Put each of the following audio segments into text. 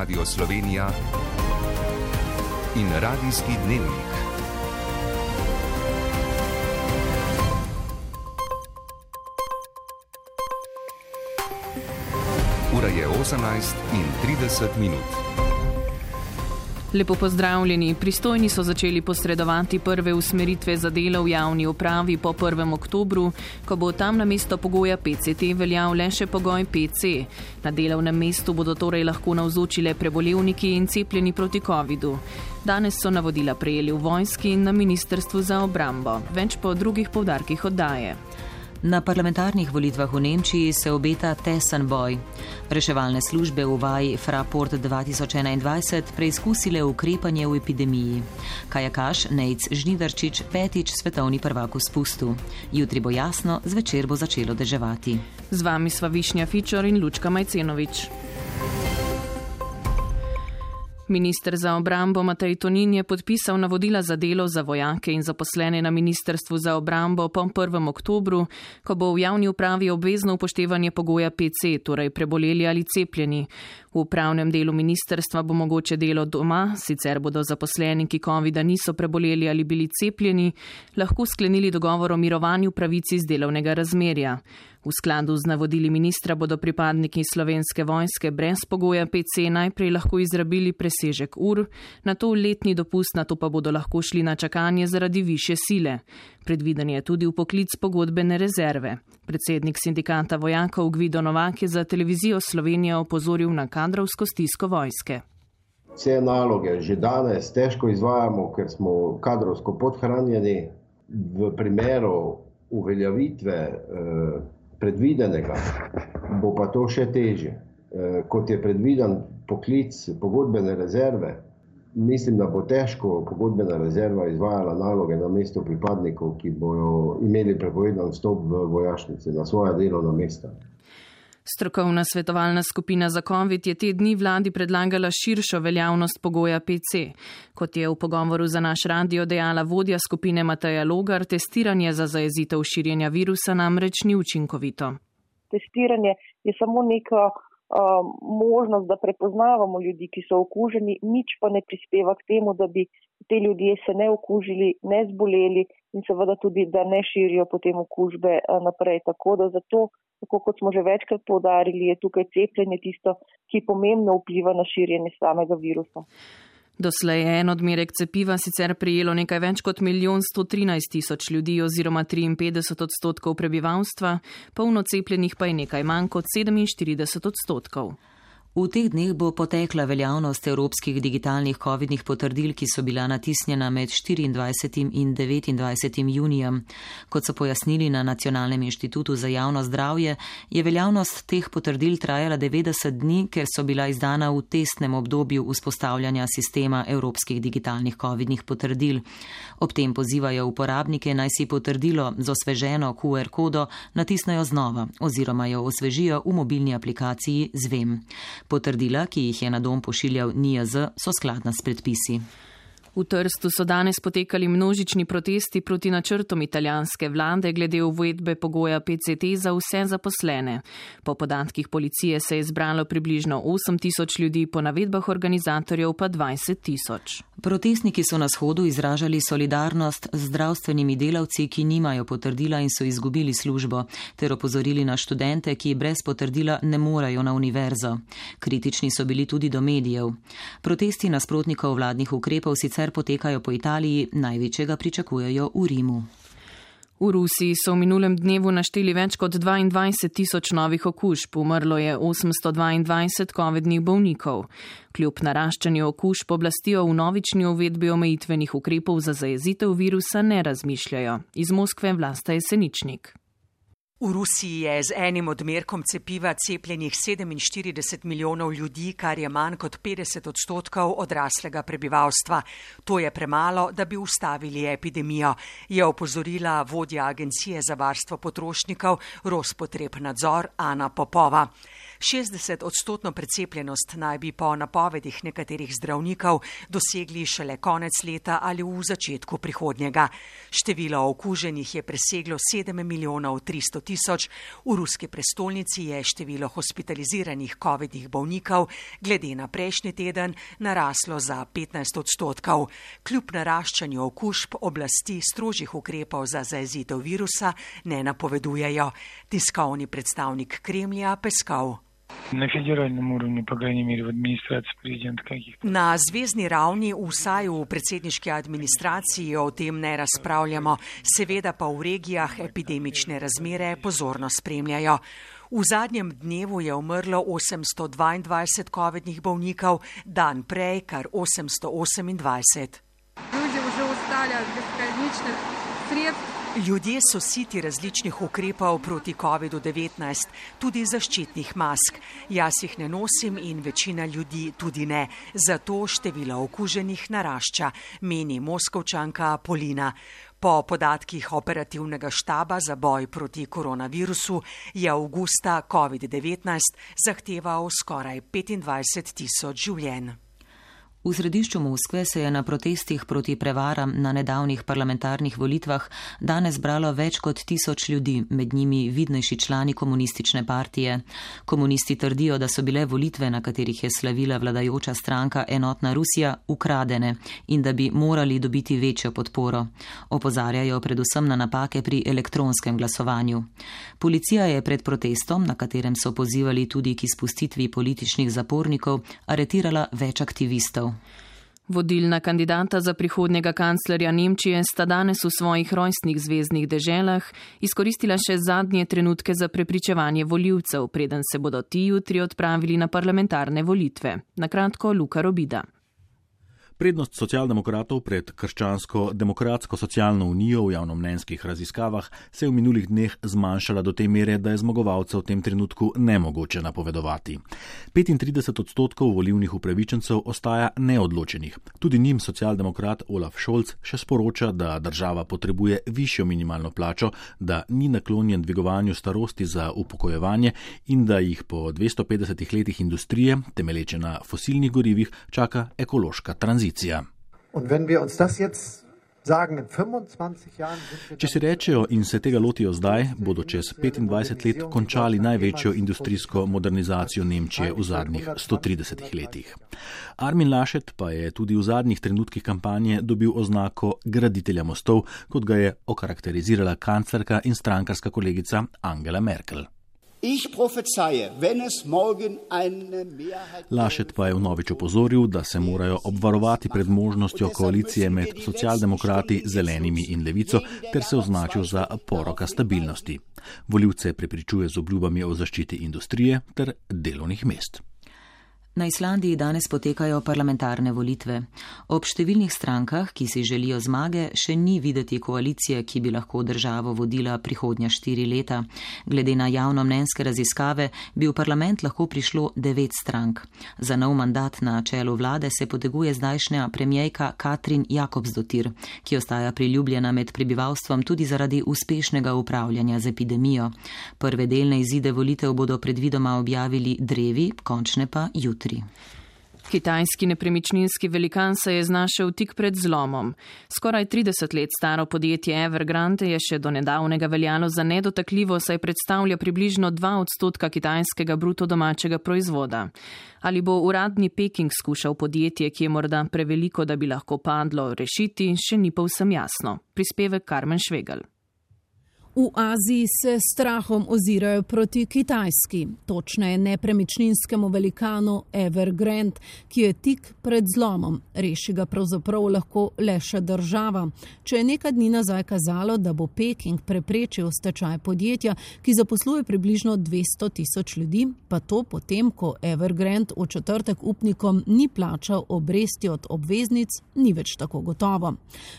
Radio Slovenija in Radijski dnevnik. Ura je 18:30. Lepo pozdravljeni. Pristojni so začeli posredovati prve usmeritve za delo v javni upravi po 1. oktobru, ko bo tam namesto pogoja PCT veljal le še pogoj PC. Na delovnem mestu bodo torej lahko navzoči le prebolevniki in cepljeni proti covidu. Danes so navodila prejeli v vojski in na Ministrstvu za obrambo. Več po drugih poudarkih oddaje. Na parlamentarnih volitvah v Nemčiji se obeta tesen boj. Reševalne službe v vaji Fraport 2021 preizkusile ukrepanje v epidemiji. Kajakaš Nejc Žnidarčič petič svetovni prvak v spustu. Jutri bo jasno, zvečer bo začelo deževati. Z vami sva Višnja Fičor in Lučka Majcenovič. Minister za obrambo Matej Tonin je podpisal navodila za delo za vojake in zaposlene na Ministrstvu za obrambo po 1. oktobru, ko bo v javni upravi obvezno upoštevanje pogoja PC, torej preboleli ali cepljeni. V upravnem delu ministrstva bo mogoče delo doma, sicer bodo zaposleni, ki covida niso preboleli ali bili cepljeni, lahko sklenili dogovor o mirovanju pravic iz delovnega razmerja. V skladu z navodili ministra bodo pripadniki Slovenske vojske brez pogoja PC najprej lahko izrabili presežek ur, nato letni dopust, nato pa bodo lahko šli na čakanje zaradi višje sile. Predviden je tudi vpoklic pogodbene rezerve. Predsednik sindikata vojakov Gvido Novak je za televizijo Slovenija opozoril na kadrovsko stisko vojske. Vse naloge že danes težko izvajamo, ker smo kadrovsko podhranjeni. V primeru uveljavitve predvidenega bo pa to še težje. Kot je predviden poklic pogodbene rezerve, mislim, da bo težko pogodbena rezerva izvajala naloge na mesto pripadnikov, ki bojo imeli prepovedan vstop v vojašnice na svoja delovna mesta. Strokovna svetovalna skupina za COVID je te dni vladi predlagala širšo veljavnost pogoja PC. Kot je v pogovoru za naš radio dejala vodja skupine Mateja Logar, testiranje za zajezitev širjenja virusa namreč ni učinkovito. Testiranje je samo neka možnost, da prepoznavamo ljudi, ki so okuženi, nič pa ne prispeva k temu, da bi te ljudje se ne okužili, ne zboleli in seveda tudi, da ne širijo potem okužbe naprej. Tako da zato, tako kot smo že večkrat poudarili, je tukaj cepljenje tisto, ki pomembno vpliva na širjenje samega virusa. Doslej je en odmerek cepiva sicer prejelo nekaj več kot 1.113.000 ljudi oziroma 53% prebivalstva, polno cepljenih pa je nekaj manj kot 47%. V teh dneh bo potekla veljavnost evropskih digitalnih covidnih potrdil, ki so bila natisnjena med 24. in 29. junijem. Kot so pojasnili na Nacionalnem inštitutu za javno zdravje, je veljavnost teh potrdil trajala 90 dni, ker so bila izdana v testnem obdobju vzpostavljanja sistema evropskih digitalnih covidnih potrdil. Ob tem pozivajo uporabnike, naj si potrdilo z osveženo QR kodo natisnejo znova oziroma jo osvežijo v mobilni aplikaciji Zvem. Potrdila, ki jih je na dom pošiljal NIJZ, so skladna s predpisi. V Trstu so danes potekali množični protesti proti načrtom italijanske vlade glede uvedbe pogoja PCT za vse zaposlene. Po podatkih policije se je zbralo približno 8.000 ljudi, po navedbah organizatorjev pa 20.000. Protestniki so na shodu izražali solidarnost z zdravstvenimi delavci, ki nimajo potrdila in so izgubili službo, ter opozorili na študente, ki brez potrdila ne morejo na univerzo. Kritični so bili tudi do medijev. Protesti nasprotnikov vladnih ukrepov sicer potekajo po Italiji, največjega pričakujejo v Rimu. V Rusiji so v minulem dnevu našteli več kot 22.000 novih okužb, umrlo je 822 covidnih bolnikov. Kljub naraščanju okužb oblasti o vnovični uvedbi omejitvenih ukrepov za zajezitev virusa ne razmišljajo. Iz Moskve Vlasta Jeseničnik. V Rusiji je z enim odmerkom cepiva cepljenih 47 milijonov ljudi, kar je manj kot 50% odraslega prebivalstva. To je premalo, da bi ustavili epidemijo, je opozorila vodja Agencije za varstvo potrošnikov Rospotrebnadzor Ana Popova. 60% precepljenost naj bi po napovedih nekaterih zdravnikov dosegli šele konec leta ali v začetku prihodnjega. Število okuženih je preseglo 7 milijonov 300 tisoč, v ruski prestolnici je število hospitaliziranih covidnih bolnikov glede na prejšnji teden naraslo za 15%. Kljub naraščanju okužb oblasti strožjih ukrepov za zajezitev virusa ne napovedujejo. Tiskovni predstavnik Kremlja Peskov. Na federalnem urovni, po krajnji meri v administraciji prezidenta kakih. Na zvezni ravni, vsaj v predsedniški administraciji, o tem ne razpravljamo, seveda pa v regijah epidemične razmere pozorno spremljajo. V zadnjem dnevu je umrlo 822 covidnih bolnikov, dan prej kar 828. Ljudje so siti različnih ukrepov proti COVID-19, tudi zaščitnih mask. Jaz jih ne nosim in večina ljudi tudi ne. Zato število okuženih narašča, meni Moskovčanka Polina. Po podatkih operativnega štaba za boj proti koronavirusu je avgusta COVID-19 zahteval skoraj 25 tisoč življenj. V središču Moskve se je na protestih proti prevaram na nedavnih parlamentarnih volitvah danes zbralo več kot 1000 ljudi, med njimi vidnejši člani komunistične partije. Komunisti trdijo, da so bile volitve, na katerih je slavila vladajoča stranka Enotna Rusija, ukradene in da bi morali dobiti večjo podporo. Opozarjajo predvsem na napake pri elektronskem glasovanju. Policija je pred protestom, na katerem so pozivali tudi k izpustitvi političnih zapornikov, aretirala več aktivistov. Vodilna kandidata za prihodnjega kanclerja Nemčije sta danes v svojih rojstnih zveznih deželah izkoristila še zadnje trenutke za prepričevanje volivcev, preden se bodo ti jutri odpravili na parlamentarne volitve. Na kratko Luka Robida. Prednost socialdemokratov pred krščansko-demokratsko socialno unijo v javnomnenjskih raziskavah se je v minulih dneh zmanjšala do te mere, da je zmagovalca v tem trenutku nemogoče napovedovati. 35% volilnih upravičencev ostaja neodločenih. Tudi njim socialdemokrat Olaf Scholz še sporoča, da država potrebuje višjo minimalno plačo, da ni naklonjen dvigovanju starosti za upokojevanje in da jih po 250 letih industrije, temelječe na fosilnih gorivih, čaka ekološka tranzicija. Če si rečejo in se tega lotijo zdaj, bodo čez 25 let končali največjo industrijsko modernizacijo Nemčije v zadnjih 130 letih. Armin Laschet pa je tudi v zadnjih trenutkih kampanje dobil oznako graditelja mostov, kot ga je okarakterizirala kanclerka in strankarska kolegica Angela Merkel. Laschet pa je vnovič opozoril, da se morajo obvarovati pred možnostjo koalicije med socialdemokrati, zelenimi in levico, ter se označil za poroka stabilnosti. Volivce prepričuje z obljubami o zaščiti industrije ter delovnih mest. Na Islandiji danes potekajo parlamentarne volitve. Ob številnih strankah, ki si želijo zmage, še ni videti koalicije, ki bi lahko državo vodila prihodnja 4 leta. Glede na javnomnenjske raziskave bi v parlament lahko prišlo 9 strank. Za nov mandat na čelu vlade se poteguje zdajšnja premijejka Katrin Jakobsdottir, ki ostaja priljubljena med prebivalstvom tudi zaradi uspešnega upravljanja z epidemijo. Prve delne izide volitev bodo predvidoma objavili drevi, končne pa jutri. Kitajski nepremičninski velikan se je znašel tik pred zlomom. Skoraj 30 let staro podjetje Evergrande je še do nedavnega veljalo za nedotakljivo, saj predstavlja približno 2% kitajskega bruto domačega proizvoda. Ali bo uradni Peking skušal podjetje, ki je morda preveliko, da bi lahko padlo, rešiti, še ni povsem jasno. Prispevek Karmen Švegelj. V Aziji se strahom ozirajo proti Kitajski, točneje nepremičninskemu velikanu Evergrande, ki je tik pred zlomom. Reši ga pravzaprav lahko le še država. Če je nekaj dni nazaj kazalo, da bo Peking preprečil stečaj podjetja, ki zaposluje približno 200.000 ljudi, pa to potem, ko Evergrande v četrtek upnikom ni plačal obresti od obveznic, ni več tako gotovo.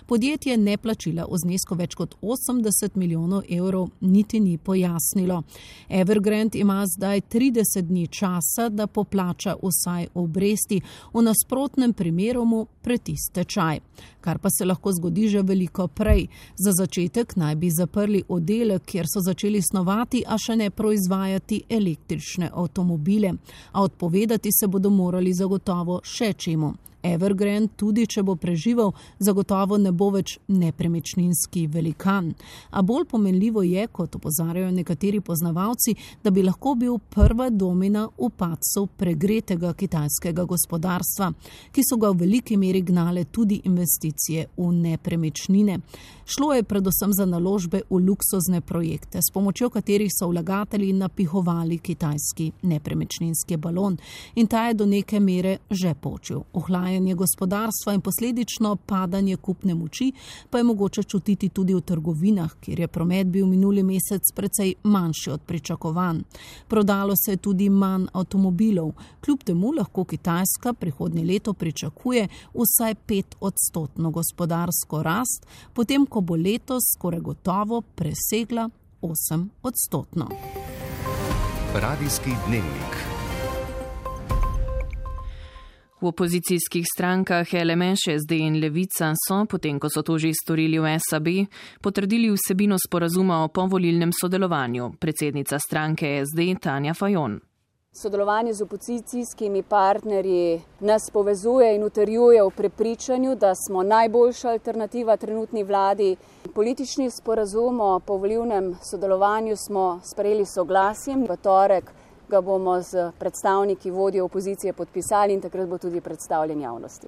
Podjetje neplačila v znesku več kot 80 milijonov milijonov evrov niti ni pojasnilo. Evergrande ima zdaj 30 dni časa, da poplača vsaj obresti, v nasprotnem primeru mu preti stečaj. Kar pa se lahko zgodi že veliko prej. Za začetek naj bi zaprli oddelek, kjer so začeli snovati, a še ne proizvajati električne avtomobile. A odpovedati se bodo morali zagotovo še čemu. Evergrande, tudi če bo preživel, zagotovo ne bo več nepremičninski velikan. A bolj pomenljivo je, kot opozarjajo nekateri poznavalci, da bi lahko bil prva domina v padcu pregretega kitajskega gospodarstva, ki so ga v veliki meri gnale tudi investicije v nepremičnine. Šlo je predvsem za naložbe v luksuzne projekte, s pomočjo katerih so vlagatelji napihovali kitajski nepremičninski balon, in ta je do neke mere že počil. Ohlajanje gospodarstva in posledično padanje kupne moči pa je mogoče čutiti tudi v trgovinah, kjer je promet bil minuli mesec precej manjši od pričakovanj. Prodalo se je tudi manj avtomobilov. Kljub temu lahko Kitajska prihodnje leto pričakuje vsaj 5% gospodarsko rast, potem ko bo letos skoraj gotovo presegla 8%. Radijski dnevnik. V opozicijskih strankah LMŠ, SD in Levica so, potem ko so to že storili v SAB, potrdili vsebino sporazuma o povolilnem sodelovanju. Predsednica stranke SD Tanja Fajon. Sodelovanje z opozicijskimi partnerji nas povezuje in utrjuje v prepričanju, da smo najboljša alternativa trenutni vladi. Politični sporazum o povolilnem sodelovanju smo sprejeli soglasjem. V torek ga bomo z predstavniki vodje opozicije podpisali in takrat bo tudi predstavljen javnosti.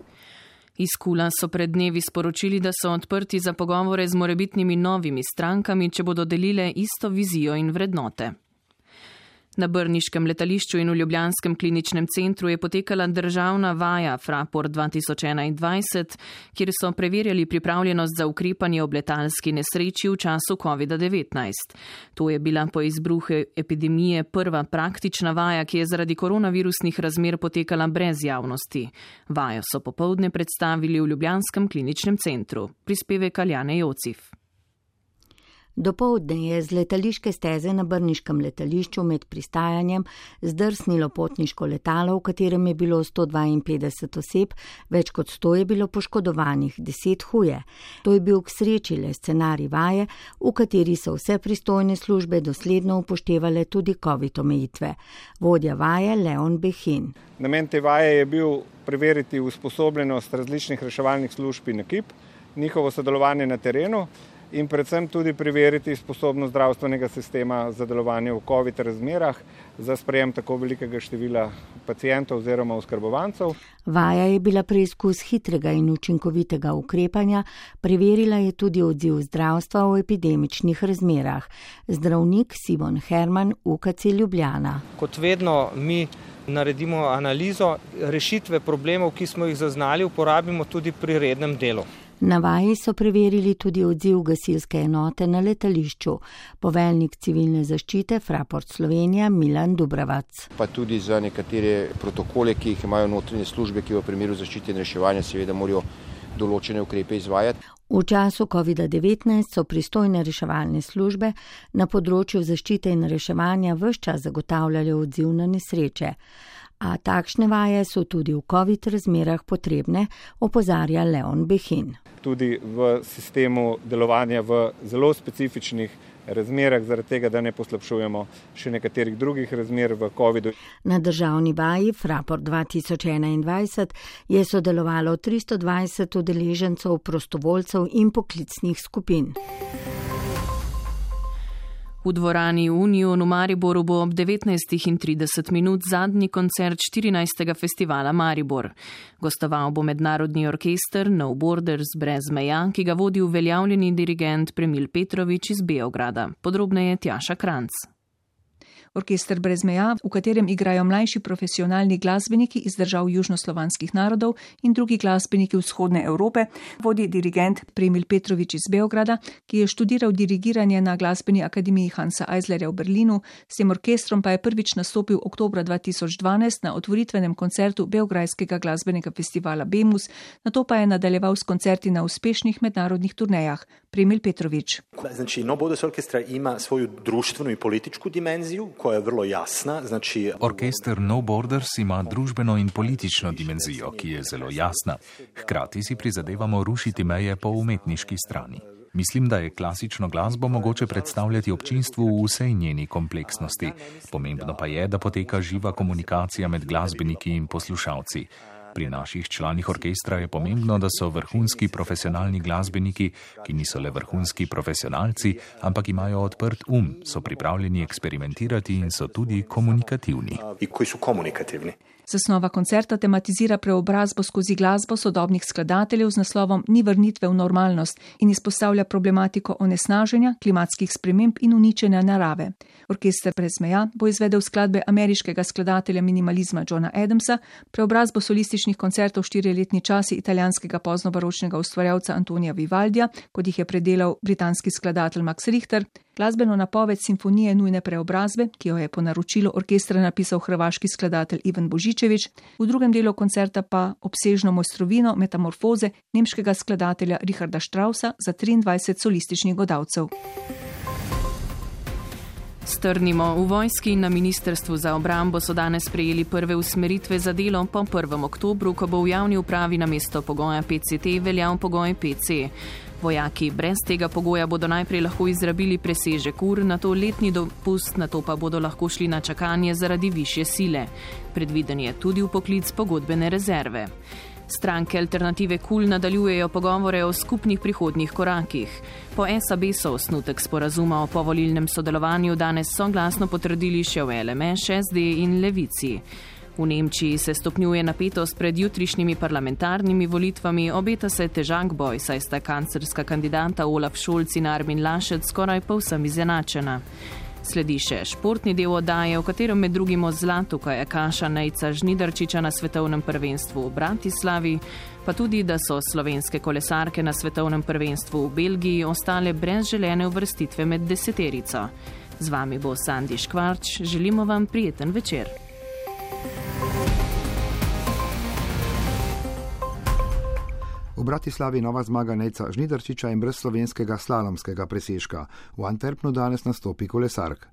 Iz KUL-a so pred dnevi sporočili, da so odprti za pogovore z morebitnimi novimi strankami, če bodo delile isto vizijo in vrednote. Na brniškem letališču in v ljubljanskem kliničnem centru je potekala državna vaja Fraport 2021, kjer so preverjali pripravljenost za ukrepanje ob letalski nesreči v času COVID-19. To je bila po izbruhu epidemije prva praktična vaja, ki je zaradi koronavirusnih razmer potekala brez javnosti. Vajo so popoldne predstavili v ljubljanskem kliničnem centru. Prispevek Aljane Jocif. Dopoldne je z letališke steze na brniškem letališču med pristajanjem zdrsnilo potniško letalo, v katerem je bilo 152 oseb, več kot 100 je bilo poškodovanih, 10 huje. To je bil k sreči le scenarij vaje, v kateri so vse pristojne službe dosledno upoštevale tudi COVID omejitve. Vodja vaje Leon Behin. Namen te vaje je bil preveriti usposobljenost različnih reševalnih služb in ekip, njihovo sodelovanje na terenu, in predvsem tudi preveriti sposobnost zdravstvenega sistema za delovanje v COVID razmerah za sprejem tako velikega števila pacientov oziroma oskrbovancev. Vaja je bila preizkus hitrega in učinkovitega ukrepanja, preverila je tudi odziv zdravstva v epidemičnih razmerah. Zdravnik Simon Herman, UKC Ljubljana. Kot vedno mi naredimo analizo, rešitve problemov, ki smo jih zaznali, uporabimo tudi pri rednem delu. Na vaji so preverili tudi odziv gasilske enote na letališču. Poveljnik civilne zaščite Fraport Slovenija Milan Dubravac. Pa tudi za nekatere protokole, ki jih imajo notranje službe, ki v primeru zaščite in reševanja seveda morajo določene ukrepe izvajati. V času COVID-19 so pristojne reševalne službe na področju zaščite in reševanja ves čas zagotavljali odziv na nesreče. A takšne vaje so tudi v COVID razmerah potrebne, opozarja Leon Behin. Tudi v sistemu delovanja v zelo specifičnih razmerah, zaradi tega, da ne poslabšujemo še nekaterih drugih razmer v COVID-u. Na državni vaji Fraport 2021 je sodelovalo 320 udeležencev, prostovoljcev in poklicnih skupin. V dvorani Union v Mariboru bo ob 19:30 zadnji koncert 14. festivala Maribor. Gostoval bo mednarodni orkester No Borders brez meja, ki ga vodi uveljavljeni dirigent Premil Petrovič iz Beograda. Podrobneje Tjaša Kranc. Orkester brez meja, v katerem igrajo mlajši profesionalni glasbeniki iz držav južnoslovanskih narodov in drugi glasbeniki vzhodne Evrope, vodi dirigent Premil Petrovič iz Beograda, ki je študiral dirigiranje na glasbeni akademiji Hansa Eislerja v Berlinu, s tem orkestrom pa je prvič nastopil oktobra 2012 na otvoritvenem koncertu Beograjskega glasbenega festivala Bemus, nato pa je nadaljeval s koncerti na uspešnih mednarodnih turnejah, Premil Petrović. Znači, No Borders Orkestra ima svoju društvenu i političku dimenziju koja je vrlo jasna. Znači, Orkester No Borders ima družbeno in politično dimenzijo, ki je zelo jasna. Hkrati si prizadevamo rušiti meje po umetniški strani. Mislim, da je klasično glasbo mogoče predstavljati občinstvu v vsej njeni kompleksnosti. Pomembno pa je, da poteka živa komunikacija med glasbeniki in poslušalci. Pri naših članih orkestra je pomembno, da so vrhunski profesionalni glasbeniki, ki niso le vrhunski profesionalci, ampak imajo odprt so pripravljeni eksperimentirati in so tudi komunikativni. Koji su komunikativni. Zasnova koncerta tematizira preobrazbo skozi glasbo sodobnih skladateljev z naslovom Ni vrnitve v normalnost in izpostavlja problematiko onesnaženja, klimatskih sprememb in uničenja narave. Orkester brez meja bo izvedel skladbe ameriškega skladatelja minimalizma Johna Adamsa, preobrazbo solističnih koncertov 4-letni časi italijanskega poznobaročnega ustvarjalca Antonija Vivaldija, kot jih je predelal britanski skladatelj Max Richter, glasbeno napoved simfonije nujne preobrazbe, ki jo je po naročilu orkestra napisal hrvaški skladatelj Ivan Božičević, v drugem delu koncerta pa obsežno mojstrovino metamorfoze nemškega skladatelja Richarda Straussa za 23 solističnih godalcev. Strnimo, v vojski in na Ministrstvu za obrambo so danes prejeli prve usmeritve za delo po 1. oktobru, ko bo v javni upravi namesto pogoja PCT veljal pogoj PC. Vojaki brez tega pogoja bodo najprej lahko izrabili presežek ur, nato letni dopust, nato pa bodo lahko šli na čakanje zaradi višje sile. Predviden je tudi vpoklic pogodbene rezerve. Stranke Alternative KUL nadaljujejo pogovore o skupnih prihodnjih korakih. Po SAB so osnutek sporazuma o povolilnem sodelovanju danes soglasno potrdili še v LMŠ, SD in Levici. V Nemčiji se stopnjuje napetost pred jutrišnjimi parlamentarnimi volitvami, obeta se težak boj, saj sta kanclerska kandidata Olaf Scholz in Armin Laschet skoraj povsem izenačena. Sledi še športni del oddaje, v katerem med drugim o zlatu kajakaša Nejca Žnidarčiča na svetovnem prvenstvu v Bratislavi, pa tudi, da so slovenske kolesarke na svetovnem prvenstvu v Belgiji ostale brez želene uvrstitve med deseterico. Z vami bo Sandi Škvarč, želimo vam prijeten večer. V Bratislavi nova zmaga Nejca Žnidarčiča in brez slovenskega slalomskega presežka. V Antwerpnu danes nastopi kolesark.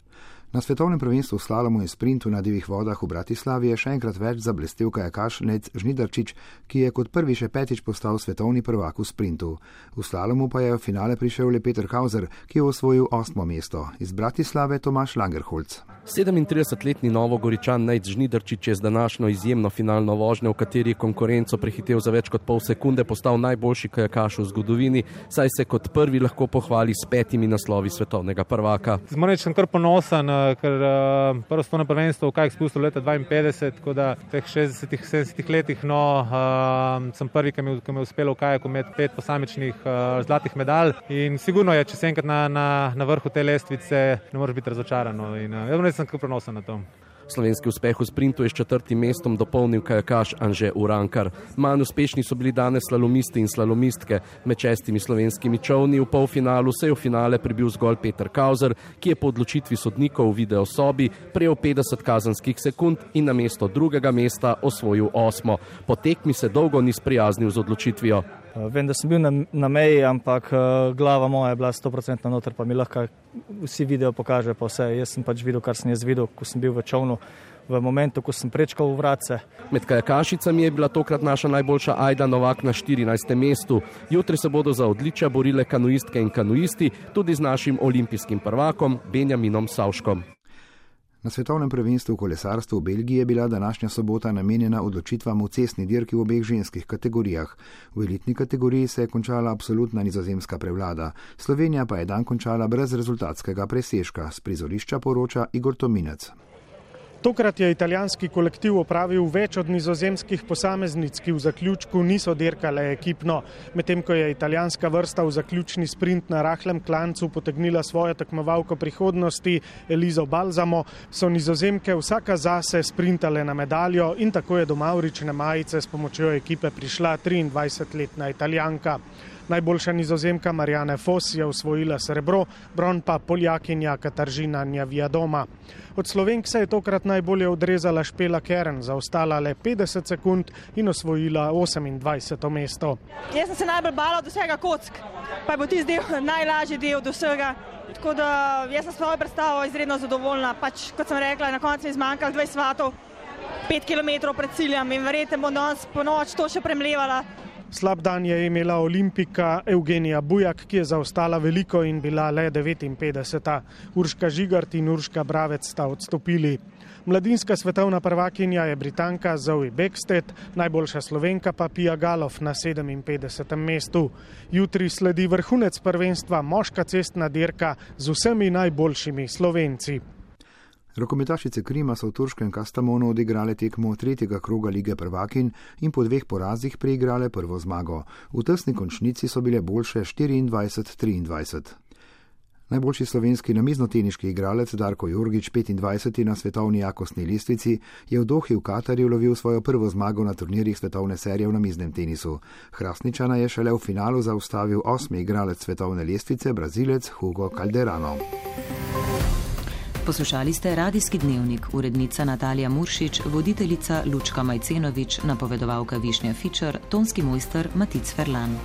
Na svetovnem prvenstvu v slalomu in sprintu na divjih vodah v Bratislavi je še enkrat več zablestel kajakaš Nejc Žnidarčič, ki je kot prvi še 5. postal svetovni prvak v sprintu. V slalomu pa je v finale prišel le Peter Kauser, ki je osvojil 8. mesto. Iz Bratislave Tomaš Langerholz. 37-letni Novogoričan Nejc Žnidarčič je z današnjo izjemno finalno vožnjo, v kateri je konkurenco prehitel za več kot pol sekunde, postal najboljši kajakaš v zgodovini, saj se kot prvi lahko pohvali s 5 naslovi svetovnega prvaka. Moram reči, sem kar ponosen, ker prvo svetovno prvenstvo v kajak spustil leta 52, tako da v teh 60-70 letih sem prvi, ki mi je uspelo v kajaku imeti 5 posamičnih zlatih medalj in sigurno je, če si enkrat na vrhu te lestvice, ne moreš biti razočaran in jaz sem kar ponosen na to. Slovenski uspeh v sprintu je s 4. mestom dopolnil kajakaš Anže Urankar. Manj uspešni so bili danes slalomisti in slalomistke. Med 6 slovenskimi čolni v polfinalu se je v finale pribil zgolj Peter Kauser, ki je po odločitvi sodnikov v videosobi prejel 50 kazenskih sekund in na mesto 2. mesta osvojil 8. Po tekmi se dolgo ni sprijaznil z odločitvijo. Vem, da sem bil na meji, ampak glava moja je bila 100% noter, pa mi lahko vsi video pokaže pa vse. Jaz sem pač videl, kar sem jaz videl, ko sem bil v čolnu, v momentu, ko sem prečkal v vratce. Med kajakašicami je bila tokrat naša najboljša Ajda Novak na 14. mestu. Jutri se bodo za odličja borile kanuistke in kanuisti, tudi z našim olimpijskim prvakom Benjaminom Savškom. Na svetovnem prvenstvu v kolesarstvu v Belgiji je bila današnja sobota namenjena odločitvam v cestni dirki v obeh ženskih kategorijah. V elitni kategoriji se je končala absolutna nizozemska prevlada. Slovenija pa je dan končala brez rezultatskega presežka. S prizorišča poroča Igor Tominec. Tokrat je italijanski kolektiv opravil več od nizozemskih posameznic, ki v zaključku niso dirkale ekipno. Medtem ko je italijanska vrsta v zaključni sprint na rahlem klancu potegnila svojo tekmovalko prihodnosti Elizo Balzamo, so nizozemke vsaka zase sprintale na medaljo in tako je do mavrične majice s pomočjo ekipe prišla 23-letna Italijanka. Najboljša Nizozemka Marianne Vos je osvojila srebro, bron pa Poljakinja Kataržina Njavijadoma. Od Slovenk se je tokrat najbolje odrezala Špela Kern, zaostala le 50 sekund in osvojila 28. mesto. Jaz sem se najbolj bala od vsega kock, pa je bil tisti del najlažji del od vsega. Tako da jaz sem svojo predstavo izredno zadovoljna. Pač, kot sem rekla, na koncu mi zmanjkalo 20 svatov, 5 km pred ciljem in verjete, bom danes po noč to še premlevala. Slab dan je imela olimpika Evgenija Bujak, ki je zaostala veliko in bila le 59. Urška Žigart in Urška Bravec sta odstopili. Mladinska svetovna prvakinja je Britanka Zoe Beckstedt, najboljša Slovenka pa Pia Galof na 57. mestu. Jutri sledi vrhunec prvenstva, moška cestna dirka z vsemi najboljšimi Slovenci. Rokometašice Krima so v turškem Kastamonu odigrale tekmo tretjega kroga lige prvakin in po 2 porazih preigrale prvo zmago. V tesni končnici so bile boljše 24-23. Najboljši slovenski namiznoteniški igralec Darko Jorgič, 25. na svetovni jakostni lestvici, je v Dohi v Katarju lovil svojo prvo zmago na turnirjih svetovne serije v namiznem tenisu. Hrastničana je šele v finalu zaustavil 8. igralec svetovne lestvice, Brazilec Hugo Calderano. Poslušali ste Radijski dnevnik, urednica Natalija Muršič, voditeljica Lučka Majcenovič, napovedovalka Višnja Fičer, tonski mojster Matic Ferlan.